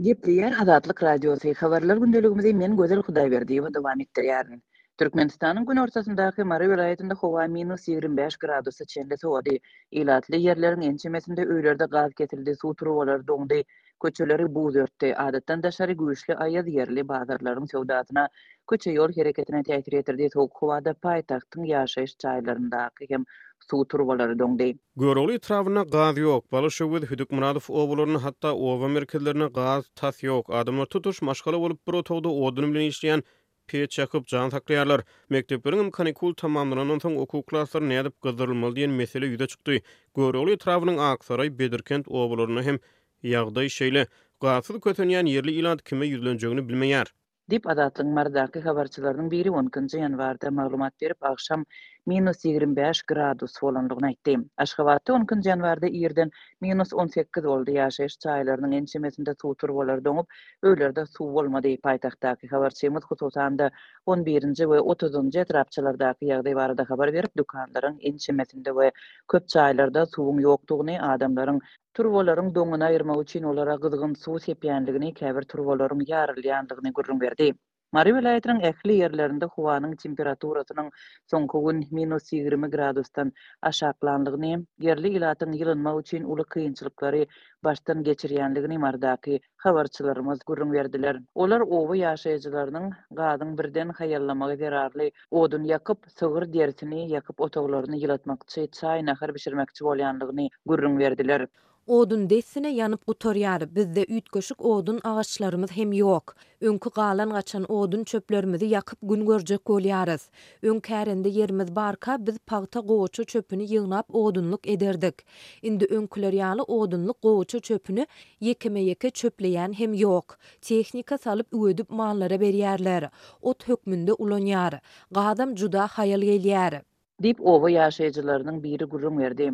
Gepleýär Azatlyk Radiosy, Habarlar gündeligimizi men Gözel Hudaýberdiýewa dowam etdirýärin. Türkmenistanyň günortasyndaky Mary welaýatynda howa minus 25 gradusa çenli sowady. Ilatly ýerleriň ençemesinde öýlerde gaz kesildi, suw turbalary doňdy, köçeleri buz örtdi. Adatdan daşary güýçli aýaz ýerli bazarlaryň söwdasyna, köçe-ýol hereketine täsir ýetirdi, sowuk howada paýtagtyň ýaşaýyş jaýlaryndaky hem suw turbalary doňdy. Görogly etrabynda gaz ýok. Balyşöwez, Hüdükmyradow obalarynda, hatda oba merkezlerinde gaz tas ýok. Adamlar tutuş maşgala bolup bir otagda odun bilen işleýän peç ýakyp, jan saklaýarlar. Mekdepleriňem kanikul tamamlanandan soň okuw klaslary nädip gyzdyrylmaly diýen mesele ýüze çykdy. Görogly etrabynyň Aksaraý, Bedirkent obalarynda hem ýagdaý şeýle. Gazsyz kösenýän ýerli ilat kime ýüzlenjegini bilmeýär. Diýip, Azatlygyň Marydaky habarçylarynyň biri on ikinji ýanwarda maglumat berip, agşam minus 25 gradus bolandygyny aýtdy. Aşgabatda on ikinji ýanwarda irden minus 18 boldy, ýaşaýyş jaýlarynyň ençemesinde suw turbalary doňup, öýlerde suw bolmady. Paýtagtdaky habarçymyz, hususan-da, on birinji we otuzynjy etrapçalardaky ýagdaý barada habar berip, dükanlaryň ençemesinde we köp jaýlarda suwuň ýokdugyny, adamlaryň Turbalaryň doňuny aýyrmak üçin olara gyzgyn suw sepýänligini, käbir turbalaryň ýarylýandygyny gürrüň berdi. Mary welaýatynyň ähli ýerlerinde howanyň temperaturasynyň soňky gün minus 20 gradusdan aşaklanlygyny, ýerli ilatyň ýylynmak üçin uly kynçylyklary başdan geçirýänligini Marydaky habarçylarymyz gürrüň berdiler. Olar oba ýaşaýjylarynyň gazyň birden haýallamagy zerarly odun ýakyp, sygyr derisini ýakyp otaglaryny ýylatmakçy, çaý-nahar bişirmekçi bolýanlygyny gürrüň berdiler. Odun dessine ýanyp gutarýar, bizde üýtgeşik odun agaçlarymyz hem ýok. Öňki galan-gaçan odun çöplerimizi ýakyp gün görjek bolýarys. Öň kärende ýerimiz barka biz pagta gowaça çöpüni ýygnap odunlyk ederdik. Indi öňküler ýaly odunlyk gowaça çöpüni ýekeme-ýeke çöpleýän hem ýok. Tehnika salyp üwedip mallara berýärler. Ot hökmünde ulanýar. Gazam juda haýal gelýär. Diýip, oba ýaşaýjylarynyň biri gürrüň berdi.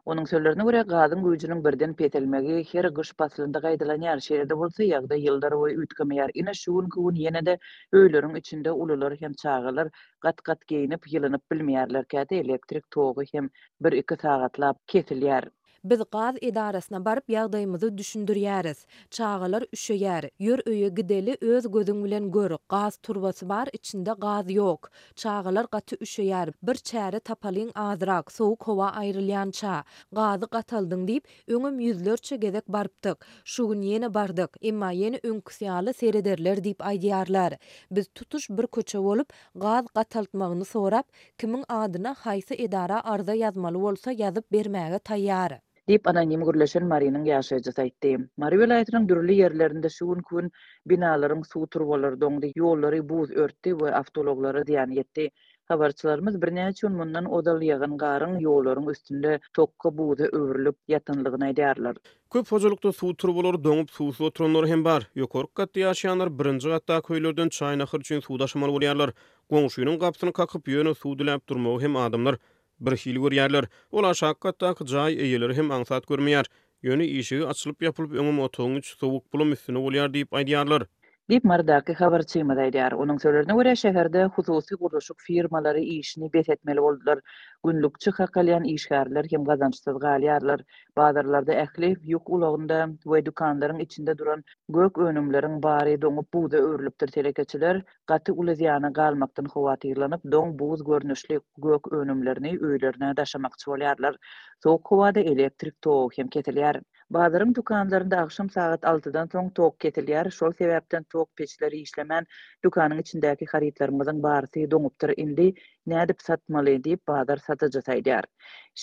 Onuň sözlerine görä, gazyň güýjüniň birden peselmegi her gyş paslynda gaýtalanýar. Şeýle-de bolsa, ýagdaý ýyllarboýy üýtgemeýär. Ine, şu günki gün ýene-de öýleriň içinde ulular hem çagalar gat-gat geýnip, ýylynyp bilmeýärler. Käte elektrik togy hem bir-iki sagatlap kesilýär. Biz gaz edarasyna baryp ýagdaýymyzy düşündirýäris. Çagalar üşeýär. Ýör öýe gideli öz gözüň bilen gör, gaz turbasy bar içinde gaz ýok. Çagalar gaty üşeýär, bir çäre tapalyň azrak, sowuk howa aýrylýança. Gazy gataldyň diýip, öňem ýüzlerçe gezek barypdyk. Şu gün ýene bardyk. Emma ýene öňküsi ýaly serederler diýip aýdýarlar. Biz tutuş bir köçe bolup, gaz gataltmagyny sorap, Kimiň adyna haýsy edara arza ýazmaly bolsa ýazyp bermäge taýýar. Diýip, anonim gürleşen Marynyň ýaşaýjysy aýtdy. Mary welaýatynyň dürli ýerlerinde şu günki gün binalaryň suw turbalary doňdy, ýollary buz örtdi we awtoulaglara zyýan ýetdi. Habarçylarymyz birnäçe gün mundan ozal ýagan garyň ýollaryň üstünde tokga buza öwrülip ýatanlygyny aýdýarlar. Köp hojalykda suw turbalary doňup, suwsuz oturanlar hem bar. Ýokarky gatda ýaşaýanlar birinji gatdaky öýlerden çaý-nahar üçin suw daşamaly bolýarlar. Goňşynyň gapysyny kakyp, ýöne suw diläp durmagy hem adamlar birhili görýärler. Ol aşaky gatdaky jaý eýeleri hem aňsat görmeýär. Ýöne işigi açylyp-ýapylyp öňem otagyň içi sowuk, bulam üstüne bolýar diýip aýdýarlar. Diýip, Marydaky habarçymyz aýdýar. Onuň sözlerine görä, şäherde hususy gurluşyk firmalary işini bes etmeli boldular. Günlükçi hak alýan işgärler hem gazançsyz galýarlar. Bazarlarda ähli ýük ulagynda we dükanlaryň içinde duran gök önümleriň bary doňup buza öwrülipdir. Telekeçiler gaty uly zyýana galmakdan howatyrlanyp, doň buz görnüşli gök önümlerini öýlerine daşamakçy bolýarlar. Sowuk howada elektrik togy hem kesilýär. Bazaryň dükanlarynda agşam sagat altydan soň tok kesilýär, şol sebäpden tok peçleri işlemän, dükanyň içindäki harytlarymyzyň barysy doňupdyr, indi nädip satmaly diýip, bazar satyjysy aýdýar.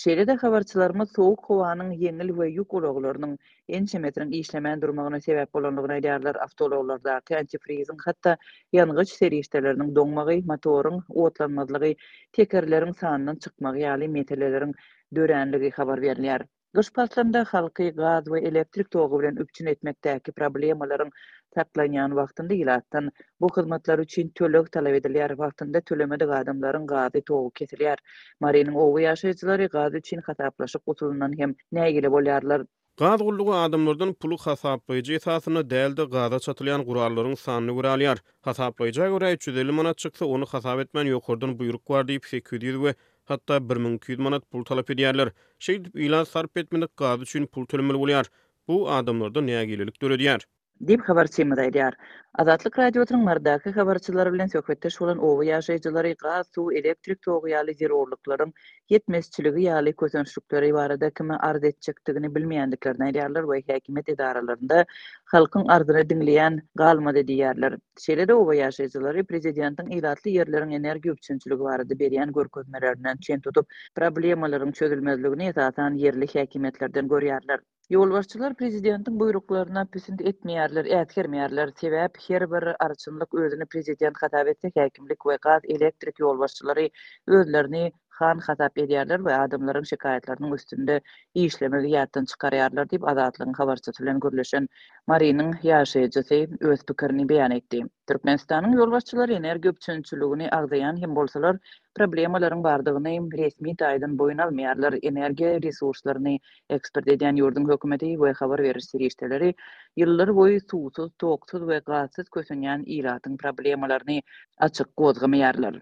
Şeýle-de habarçylarymyz sowuk howanyň ýeňil we ýük ulaglarynyň ençemesiniň işlemän durmagyna sebäp bolandygyny aýdýarlar, awtoulaglardaky antifriziň, hatda ýangyç serişdeleriniň doňmagy, motoryň otlanmazlygy, tekerleriň sandan çykmagy ýaly meseleleriň döränligi habar berilýär. Gyş paslynda halky gaz we elektrik togy bilen üpjün etmekdäki problemalaryň saklanýan wagtynda ilatdan bu hyzmatlar üçin töleg talap edilýär, wagtynda tölemedik adamlaryň gazy, togy kesilýär. Marynyň oba ýaşaýjylary gaz üçin hasaplaşyk usulyndan hem nägile bolýarlar. Gaz gullugy adamlardan puly hasaplaýjy esasynda däl-de, gaza çatylýan gurallaryň sanyna görä alýar. Hasaplaýja görä 350 manat çyksa, ony hasap etmän ýokardan buýruk bar diýip 800 we hatda 1200 manat pul talap edýärler. Şeýdip, ilat sarp etmedik gazy üçin pul tölemeli bolýar. Bu adamlarda nägilelik döredýär. Diýip, habarçymyz aýdýar. Azatlyk Radiosynyň Marydaky habarçylary bilen söhbetdeş bolan oba ýaşaýjylary gaz, suw, elektrik togy ýaly zerurlyklaryň ýetmezçiligi ýaly kösençlikleri barada kime arz etjekdigini bilmeýändiklerini aýdýarlar we häkimiýet edaralarynda halkyň arzyny diňleýän galmady diýýärler. Şeýle-de oba ýaşaýjylary prezidentiň ilatly ýerleriň energiýa üpjünçiligi barada berýän görkezmelerinden çen tutup, problemalaryň çözülmezligini esasan ýerli häkimiýetlerden görýärler. Ýolbaşçylar prezidentiň buýruklaryna pisint etmeýärler, äsgermeýärler. Sebäp her bir arçynlyk özüni prezident hasap etse, häkimlik we gaz, elektrik ýolbaşçylary özlerini han hasap edýärler we adamlaryň şikaýatlarynyň üstünde işlemegi ýatdan çykarýarlar diýip, Azatlygyň habarçysy bilen gürleşen Marynyň ýaşaýjysy öz pikirini beýan etdi. Türkmenistanyň ýolbaşçylary energiýa üpjünçiligini agzaýan hem bolsalar, problemalaryň bardygyny resmi taýdan boýun almaýarlar, energiýa resurslaryny Eksport edýän ýurduň hökümeti we habar beriş serişdeleri ýyllar boýy suwsuz, toksuz we gazsyz kösenýän ilatyň problemalaryny açyk gozgamaýarlar.